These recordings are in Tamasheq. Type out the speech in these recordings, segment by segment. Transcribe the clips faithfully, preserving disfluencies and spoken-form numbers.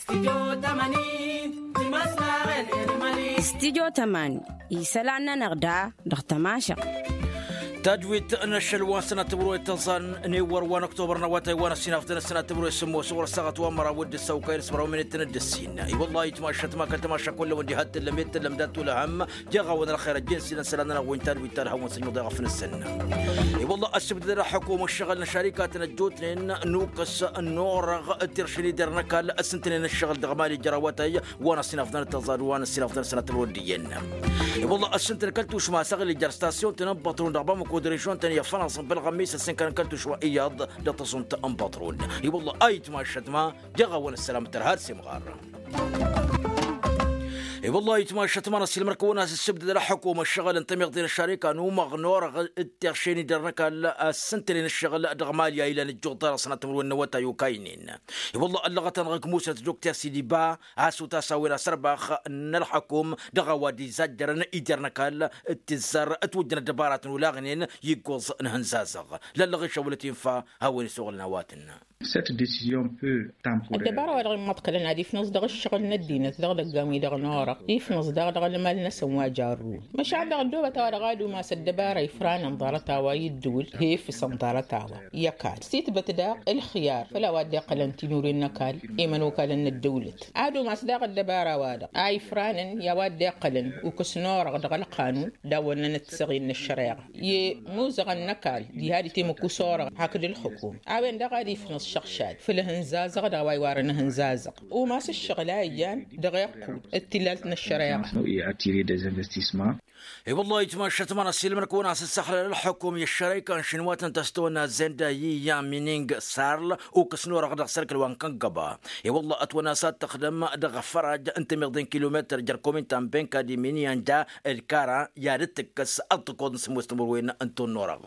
Stidyo tămani isălan-nănăɣ da dăɣ-tămašăɣt. Tajwit n-ašăl wa n-sănat timǝrwe tăẓan n-ewăr wa n-oktobăr n-awătay wa n-ăssinafdăn ăsănat timǝrwe s-sǝmmos ɣur-ăssaɣăt wa n-măraw d-ǝssăw kayăn s-măraw minit n-dd-ǝssin. I-wălla ayǝtmašat ma kăl-tămaša kullăwăn diha t-tǝllăm i-t-tǝllăm dat-tulăhăm jeɣ-awăn ălxer ăjjǝn s-ilăn isălan-nănăɣ wi n-tajwit ta d-hawăn-sănjuḍ i-ɣăf n-ǝssǝnna. I-wălla ăssibdăd ălxăkum ăššăɣǝl n-ăšarikatăn ăjjootnen n-ukǝs n-orăɣ d-tiršen-i-derr n-ăkall ăssǝntănen ǝššăɣǝl dăɣ-mali jer-awătay wa n-ăssinafdăn d-tăẓad wa n-ăssinafdăn d-sănatăr wăr dd-iyyăn. I-wălla ăssintăn kăl-tušma asăɣlǝj jer-stasyun-tăn n-băṭrun dăɣ-bamăko d-režion-tăn i-ăffănaẓ n-bălɣămmis ăssinkăn kăl-tušma iyyăḍ dăɣ-tăẓunt n-băṭrun. I-wălla ayǝtmašat ma jeɣ-awăn ăssălam tărha d-simɣar. I-wălla ayǝtmašat ma n-ăssiilmăr-kăwăn a-s ǝssǝbdăd ălxăkum ăššăɣǝl n-tămiḍe n-ăššarika n-umăɣ n-orăɣ d-tiršen-i-derr n-ăkall ăssintănen ǝššăɣǝl dăɣ-mali a ilăn ǝjjuḍ ḍarăs n-atmǝrwen n-awătay okaynen. I-wălla ăllăɣăt-anăɣ ǝgg musnăt dokter sidiba a-s utas a-wen asărbax n-ălxăkum dăɣ-a-wa dd-izajjărăn i-derr n-ăkall d-tizzar ătwǝjjăn ăddăbaratăn olaɣnen iggoẓ n-ihǝnzazăɣ. Lăllăɣ išăwălăt infa hawăn-isuɣǝlăn a-wa tǝnnă. Ăddăbara-wa-dăɣ immăḍkălăn ad-ifnăẓ dăɣ-ǝššăɣǝl n-ăddinăt dăɣ-idăggan-wi-dăɣ n-orăɣ ifnăẓ daɣ dăɣ-ălmal-năsăn wa jarrun. Măšan dăɣ-ăddoobăt a-wa-dăɣ ad-umas ăddăbara ifranăn ḍarăt a-wa i-ǝddǝwǝl he-ifǝsăn ḍarăt a-wa i-ăkall s-itbăt daɣ ǝlxǝyar făll-a-wa dd-iqqălăn tinuren n-ăkall i-imănokalăn n-ăddăwlăt. Ad-umas daɣ ăddăbara-wa-dăɣ a ifranăn i-a-wa dd-iqqălăn ukǝs n-orăɣ dăɣ-ălqanun d-awănnănăt tiseɣin n-ăššăreɣa i-imuzăɣăn n-ăkall diha d-item ǝkkus orăɣ hakd ǝlxǝkum. A-wen-dăɣ ad-ifnăẓ šăɣšad făll-ihǝnzazăɣ d-a-wa iwarăn ihǝnzazăɣ umas ǝššăɣǝl a ijan dăɣ-iqqud d-tillalt n-ăššăreɣa. I-wălla ayǝtmašat ma n-ăssiilmăr-kăwăn a-s ǝssăxlăl ălxukum i-ăššărăyka n-šinwatăn ta s-tăwănna zenda i-iyyăn mining sarl ukǝs n-orăɣ dăɣ-sărkăl wa n-kăngăba. I-wălla ătwănna s-ad-tăxdăm dăɣ-afăraj n-tămiḍe n-kilometăr jer-komin ta n-benka d-iminiyan ja d-kara i-ad-dd-tǝkkăs ăṭṭăkoḍ n-sǝmmos timǝrwen n-tunnurăɣ.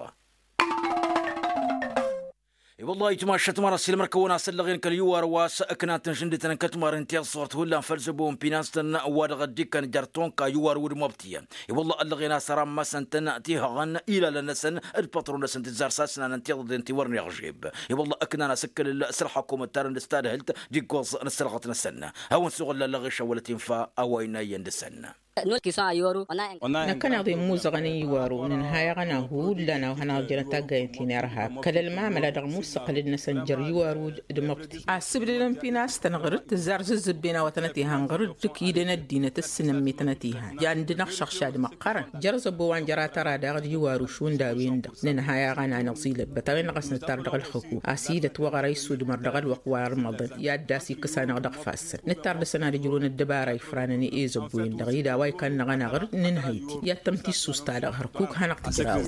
I-wălla ayǝtmašat ma n-ăssiilmăr-kăwăn a-s ăllăɣen kăl-iwar wa s-ǝknan tǝnšǝndǝtăn n-kătmar n-tiẓẓurt hullan făll-zăbo n-pinastăn wa dăɣ-ăddikkăn jer-tonka iwar wud mobtiyăn. I-wălla ăllăɣen a-s ărammăsăn-tăn tihăɣăn ilalăn-năsăn d-pătru-năsăn tǝzzar s-asnanăn tiḍăḍen ti wăr n-iɣžeb. I-wălla ǝknan asǝkkǝlǝl s-ălxăkum ǝttarăn d-s tadhǝlt d-iggoẓ n-ăssărɣăt-năsăn. Hawăn-suɣǝl lallăɣ išăwwălăt infa a-wa innă iyyăn dăɣ-săn. Năkkăneḍ immuzăɣăn n-iwaru nǝnhăy aɣăna hullan a-wa hanăɣ-jărăn taggayăn ti n-irhab kăl-ălmamăla dăɣ-imussăqlǝd-năsăn jer-iwaru d-măbti. Asǝbdădăn pinastăn ɣǝr-dd tǝzzar zǝzzǝbben a-wa tănăt-ihan ɣǝr-dd ǝkidăn ăddinăt ǝssǝnămmi tănăt-ihan. Jan d-năɣšăɣšad măqqărăn jer-zăbo wa n-jăr-atăra daɣ d-iwaru šund a-wen-dăɣ. Nǝnhăy aɣăna năẓilăbbăt a-wen-dăɣ a-s nǝttar dăɣ-ălxǝku a-s idăt wăɣăra isudmăr dăɣ-ălwăqq wa ărmăḍăn i-ad-dd-as-ikkăs-anăɣ dăɣ-ifassăn. Nǝttar dăɣ-săn ad-ǝjrǝwăn ăddăbara ifranăn i-ezăbbu-en-dăɣ i-dd-a-wa ikăn-năɣ anăɣ-dd nǝnhăy-t i-ad-tămtissust-ta-dăɣ hărkuk hanăɣ-tǝjraw.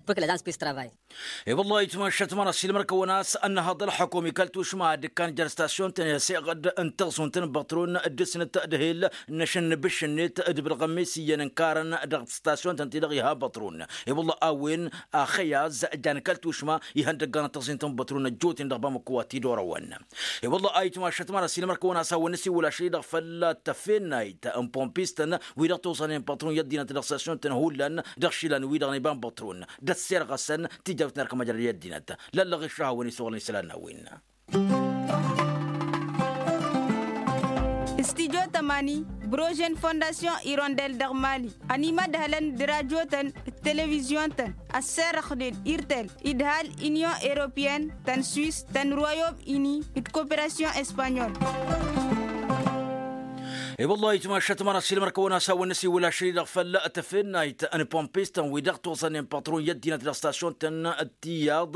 Ǝkǝlăd anspis travay. I-wăllah ayǝtmašat ma n-ăssiilmăr-kăwăn a-s ănnăhăḍ ălxukum i-kăl-tušma a dd-ikkan jer-stasyun-tăn i-ăsiɣăd n-taẓunt n-băṭrun d-dăr-snăt d-ehel n-ašăn n-ibǝššǝnnet d-ibǝlɣămmis iyyăn ǝnkarăn dăɣ-stasyun-tăn-ti-dăɣ iha băṭrun. I-wăllah a-wen axăyaz jan kăl-tušma ihăndăggan n-taẓint n-băṭrun ăjjootnen dăɣ-bamăko wa t-dd-orăwăn. I-wăllah ayǝtmašat ma n-ăssiilmăr-kăwăn a-s hawăn-nǝsiwǝl ašăl-i-dăɣ făll-tăfennayt n-pompistăn wi-dăɣ toẓănen păṭrun i-ăddinăt dăɣ-săsyuntăn hullan dăɣ-išilan wi-dăɣ n-iba n-păṭrun d-ăssirɣăsăn tijawt n-erk măjrăd i-ăddinăt. Lăllăɣ iššăhawăn isuɣǝlăn isălan n-a-wen. Stidyo tămani brožen fondasyon irondel dăɣ-mali ănimădhălăn d-rajotăn d-televizyon-tăn ăsserăxnen irtel idhal inyon eropyen tăn-swis tăn-royom ini d-koperasyon espanyol. I-wăllah ayǝtmašat ma n-ăssiilmăr-kăwăn a-s hawăn-nǝsiwǝl ašăl-i-dăɣ făll-tăfennayt n-pompistăn wi dăɣ-toẓănnen păṭrun i-ăddinăt dăɣ-stasyun-tăn d-tiyyăḍ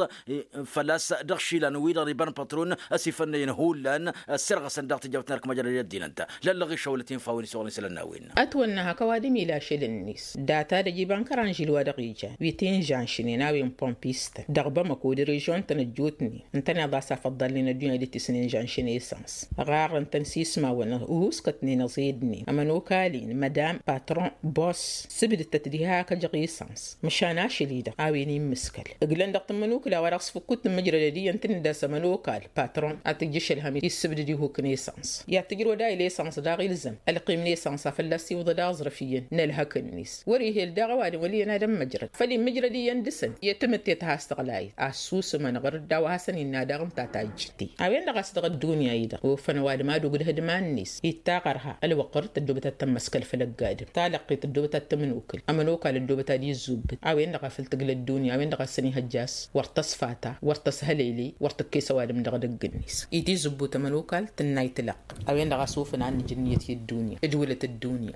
făl-a-s dăɣ-išilan wi-dăɣ n-iba n-păṭrun ăsifănnăyăn hullan ăssirɣăsăn daɣ tijawt n-erk măjrăd i-ăddinăt. Lăllăɣ išăwălăt infa a-wen isuɣǝlăn isălan n-a-wen. Ătwănna hak ăwadǝm ila ašăl-net data-dăj iba n-kăranžil wa dăɣ-ijan wi t-inžanšnen a-wen pompistăn dăɣ-bamăko d-režion-tăn ăjjootnen ǝntăneḍ a-s afăḍḍalnen ăddunya d-tisǝnǝnžanšen esăns. Ɣarrăn-tăn s-ismawăn uhuskătnen. Ăẓidnen ămănokal-in mădam patron bos sǝbdǝtăt diha kăjăɣ isăns măšan ašăl-i-dăɣ a-wen immǝskăl ǝglăn dăɣ-tǝmmǝnukǝla wa dăɣ-s fǝkkut tǝmmǝjrădăd iyyăn tǝnnǝd a-s ămănokal patron ad-t-ijjǝš ălhăm issǝbdǝd ihuk n-esăns i-ad-tǝjrăwăd a ila esăns daɣ ilzăm ălqim n-esăns a fălla-s iwǝḍăd aẓrǝf iyyăn n-ălhăk-net. Wăr-ihi ăldăɣ ăwadǝm wăl' iyyăn ad-ămmăjrăd făll-immǝjrăd iyyăn dăɣ-săn i-tamǝtte ta has-tăɣlayăt assusǝmăn ɣur-dd a-wa hasăn-innă daɣ ǝnta tajjǝtte. A-wen-dăɣ a-s dăɣ-ăddunya-i-dăɣ ofăn ăwadǝm ad-ugǝd ihădman-net ittaqărha ălwăqq ɣur-dd tăddoobăt ad-tămmăskăl făll-ăgg-adǝm talăqqit ăddoobăt ad-tămǝnukǝl ămănokal ăddoobăt ad-izzubǝd. A-wen-dăɣ a făl tǝgla ăddunya a-wen-dăɣ a-s săn-ihăjja a-s wăr tăsfata wăr tăshălele wăr tǝkkes ăwadǝm dăɣ-edăgg-net. Itizǝbbut ămănokal tǝnna itǝlăqq a-wen-dăɣ a-s ofăn ad-nǝj ǝnniyăt i-ăddunya ǝjwǝlăt ăddunya.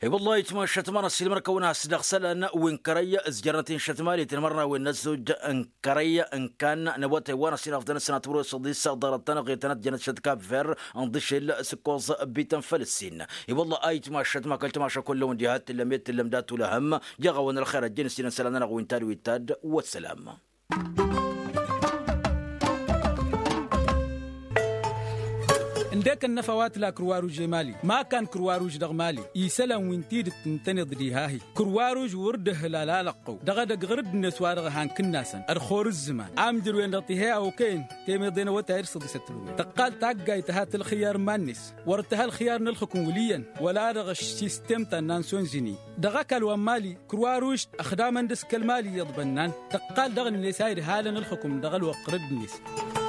I-wăllah itmašat ma n-ăssiilmăr-kăwăn a has-dăɣ isălan wi n-kărăy ǝzjărnăt-in šătmalet n-imărnawen n-ăzzoj n-kărăy n-kan n-awătay wa n-ăssiilăfḍăn s-sănatăwăr osăḍis ḍarăt-tăn-ăɣetănăt jănăt šăt kap ver ǝnḍǝšel s-ǝkkoẓ bităn făll-ǝssin. I-wăllah a itmašat ma kăl-tamaša kull-ăwăn diha t-tǝllăm i-t-tǝllăm dat-ulăhăm. Jaɣ-awăn ălxer ăjjăn ǝssinăn isălan-nănăɣ wi n-tad wi t-tad. Wăssălam. Ǝndek ănnăfa wa tǝla kǝrwaruž i-mali ma kan kǝrwaruž dăɣ-mali isălan wi n-tidǝt ǝntăneḍ diha-hi. Kǝrwaruž wăr dd-ǝhlal alăqqăw dăɣ-edăgg ɣur-dd-net wa dăɣ-han kǝnnasăn ălxor ǝzzǝman amjăr-wen-dăɣ tiha i-a okăyăn temeḍe n-awătay d-săḍisăt tǝlwǝy tăqqal taggayt tǝha tǝlxǝyyar iman-net. Wăr tǝha ălxǝyyar n-ǝlxǝkǝm wǝl' iyyăn wăla dăɣ-ăšsistem ta n-nansyon zǝni. Dăɣ-ăkall wa n-mali kǝrwaruž ăxdamăn d-s kăl-mali iyyăḍ bănnan tăqqal dăɣ-net a idhalăn ǝlxǝkǝm dăɣ-ălwăqq ɣur-dd-net.